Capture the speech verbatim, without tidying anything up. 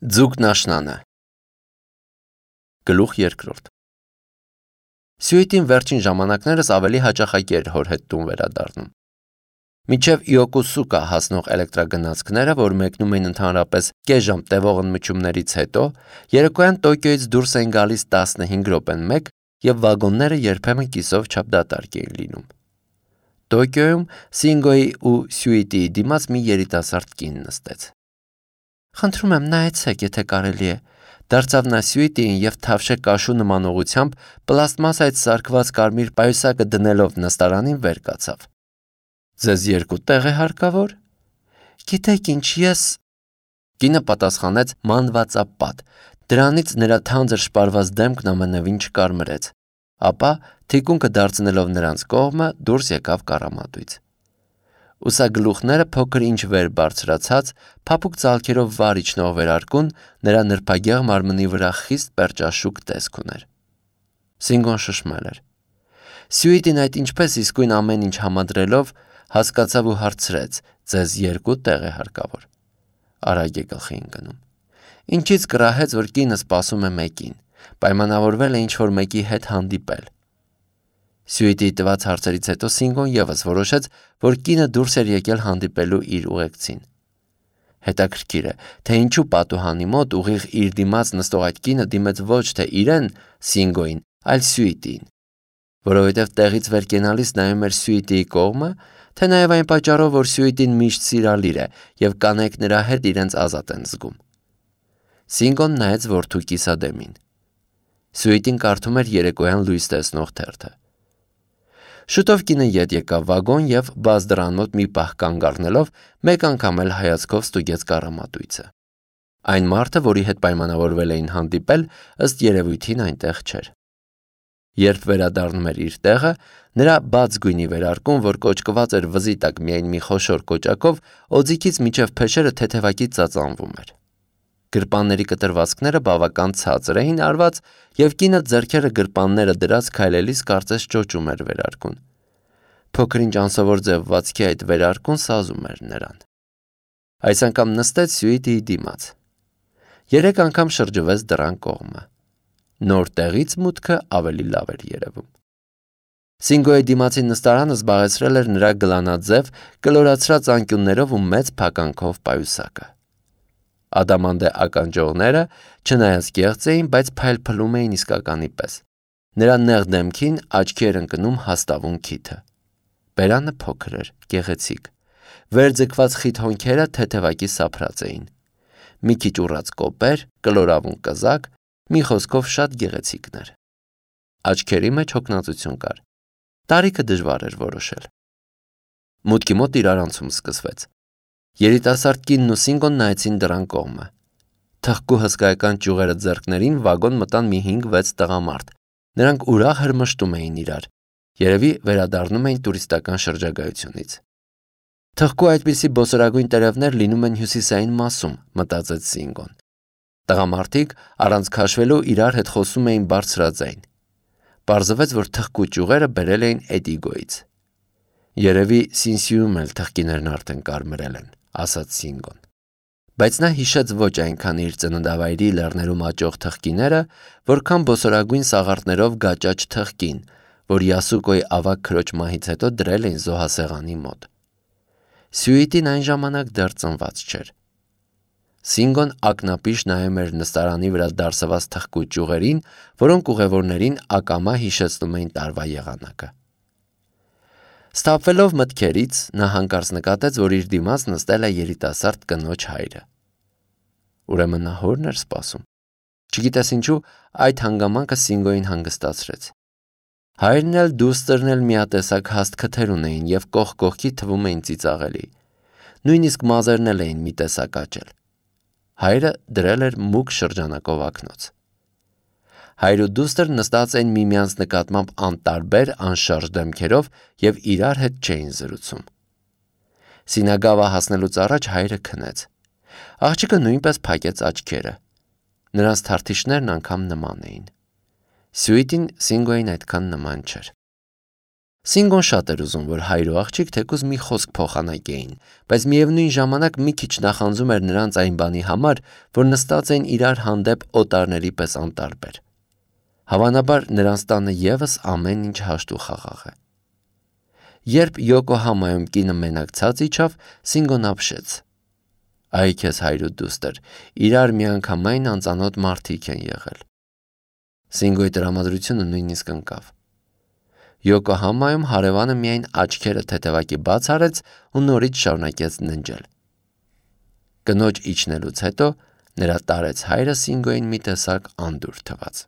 Ձուկն աշնանը Գլուխ երկրորդ Սյուիտին վերջին ժամանակներս ավելի հաճախակի էր հոր հետ տուն վերադառնում։ Մինչև Իոկոսուկա հասնող էլեկտրագնացքները, որ մեկնում էին ընդհանրապես կես ժամ տևող ընդմիջումներից հետո, երեկոյան Տոկիոյից դուրս էին գալիս տասնհինգ րոպեն մեկ և վագոնները երբեմն կիսով չափ դատարկ էին լինում։ Տոկիոյում Սինգոյի ու Սյուիտիի դիմաց մի երիտասարդ կին նստեց։ «Խնդրում եմ, նայեցեք, եթե կարելի է», դարձավ նա Սյուիտիին և թավշե կաշու նման ուղղությամբ պլաստմասայից սարքված կարմիր պայուսակը դնելով նստարանին վեր կացավ։ «Ձեզ երկու տեղ է հարկավոր»։ «Գիտեք ինչ, ես…» Կինը պատասխանեց մանվածապատ, դրանից նրա թանձր շպարված դեմքն ամենևին չկարմրեց, ապա, թիկունքը դարձնելով նրանց կողմը, դուրս եկավ կառամատույց։ Ուսագլուխները փոքր-ինչ վեր բարձրացած, փափուկ ծալքերով վար իջնող վերարկուն նրա նրբագեղ մարմնի վրա խիստ պերճաշուք տեսք ուներ։ Սինգոն շշմել էր։ Սյուիտին այդ ինչպես իսկույն ամեն ինչ համադրելով հասկացավ ու հարցրեց. «Ձեզ երկու տեղ է հարկավոր»։ Արագ է գլխի ընկնում։ Ինչից կռահեց, որ կինը սպասում է մեկին, պայմանավորվել է ինչ-որ մեկի հետ հանդիպել։ Սյուիտիի տված հարցերից հետո Սինգոն ևս որոշեց, որ կինը դուրս էր եկել հանդիպելու իր ուղեկցին։ Հետաքրքիր է, թե ինչու պատուհանի մոտ ուղիղ իր դիմաց նստող այդ կինը դիմեց ոչ թե իրեն, Սինգոյին, այլ Սյուիտիին։ Որովհետև տեղից վեր կենալիս նայում էր Սյուիտիի կողմը, թե նաև այն պատճառով, որ Սյուիտին միշտ սիրալիր է և կանայք նրա հետ իրենց ազատ են զգում։ Սինգոն նայեց որդու կիսադեմին։ Սյուիտին կարդում էր երեկոյան լույս տեսնող թերթը։ Շուտով կինը ետ եկավ վագոն և բաց դռան մոտ մի պահ կանգ առնելով մեկ անգամ էլ հայացքով ստուգեց կառամատույցը։ Այն մարդը, որի հետ պայմանավորվել էին հանդիպել, ըստ երևույթին այնտեղ չէր։ Երբ վերադառնում էր իր տեղը, նրա բաց գույնի վերարկուն, որ կոճկված էր վզի տակ միայն մի խոշոր կոճակով, օձիքից մինչև փեշերը թեթևակի ծածանվում էր։ Գրպանների կտրվածքները բավական ցածր էին արված, և կինը ձեռքերը գրպանները դրած քայլելիս կարծես ճոճում էր վերարկուն։ Փոքր-ինչ անսովոր ձևվածքի այդ վերարկուն սազում էր նրան։ Այս անգամ նստեց Սյուիտիի դիմաց։ Երեք անգամ շրջվեց դռան կողմը։ Նոր տեղից մուտքը ավելի լավ էր երևում։ Սինգոյի դիմացի նստարանը զբաղեցրել էր նրա գլանաձև, կլորացրած անկյուններով ու մեծ փականքով պայուսակը։ Ադամանդե ականջողները, չնայած կեղծ էին, բայց փայլփլում էին իսկականի պես։ Նրա նեղ դեմքին աչքի էր ընկնում հաստավուն քիթը։ Բերանը փոքր էր, գեղեցիկ։ Վերձգված խիտ հոնքերը թեթևակի սափրած էին։ Մի քիչ ուռած կոպեր, կլորավուն կզակ, մի խոսքով շատ գեղեցիկն էր։ Աչքերի մեջ հոգնածություն կար։ Տարիքը դժվար էր որոշել։ Մուտքի մոտ իրարանցում սկսվեց։ Երիտասարդ կինն ու Սինգոն նայեցին դռան կողմը։ Թխկու հսկայական ճյուղերը ձեռքներին վագոն մտան մի հինգ-վեց տղամարդ։ Նրանք ուրախ հրմշտում էին իրար։ Երևի վերադառնում էին տուրիստական շրջագայությունից։ Թխկու այդպիսի բոսորագույն տերևներ լինում են հյուսիսային մասում, մտածեց Սինգոն։ Տղամարդիկ առանց քաշվելու իրար հետ խոսում էին բարձրաձայն։ Պարզվեց, որ թխկու ճյուղերը բերել էին Էդիգոյից։ Երևի Սինսյուում էլ թխկիներն արդեն կարմրել են, ասաց Սինգոն։ Բայց նա հիշեց ոչ այնքան իր ծննդավայրի լեռներում աճող թխկիները, որքան բոսորագույն սաղարթներով գաճաճ թխկին, որ Յասուկոյի ավագ քրոջ մահից հետո դրել էին զոհասեղանի մոտ։ Սյուիտին այն ժամանակ դեռ ծնված չէր։ Սինգոն ակնապիշ նայում էր նստարանի վրա դարսված թխկու ճյուղերին, որոնք ուղևորներին ակամա հիշեցնում էին տարվա եղանակը։ Սթափվելով մտքերից, նա հանկարծ նկատեց, որ իր դիմաց նստել է երիտասարդ կնոջ հայրը։ Ուրեմն նա հորն էր սպասում։ Չգիտես ինչու, այդ հանգամանքը Սինգոյին հանգստացրեց։ Հայրն էլ դուստրն էլ միատեսակ հաստ քթեր ունեին և կողք կողքի թվում էին ծիծաղելի։ Նույնիսկ մազերն էլ էին մի տեսակ աճել։ Հայրը դրել էր մուգ շրջանակով ակնոց։ Հայր ու դուստր նստած էին միմյանց նկատմամբ անտարբեր, անշարժ դեմքերով և իրար հետ չէին զրուցում։ Սինագավա հասնելուց առաջ հայրը քնեց։ Աղջիկը նույնպես փակեց աչքերը։ Նրանց թարթիշներն անգամ նման էին։ Սյուիտին Սինգոյին այդքան նման չէր։ Սինգոն շատ էր ուզում, որ հայր ու աղջիկ թեկուզ մի խոսք փոխանակեին, բայց միևնույն ժամանակ մի քիչ նախանձում էր նրանց այն բանի համար, որ նստած էին իրար հանդեպ օտարների պես անտարբեր։ Հավանաբար նրանց տանը ևս ամեն ինչ հաշտ ու խաղաղ է։ Երբ Յոկոհամայում կինը մենակ ցած իջավ, Սինգոն ապշեց. «Այ քեզ հայր ու դուստր, իրար միանգամայն անծանոթ մարդիկ են եղել»։ Սինգոյի տրամադրությունը նույնիսկ ընկավ։ Յոկոհամայում հարևանը միայն աչքերը թեթևակի բաց արեց ու նորից շարունակեց ննջել։ Կնոջ իջնելուց հետո նրա տարեց հայրը Սինգոյին մի տեսակ անդուր թվաց։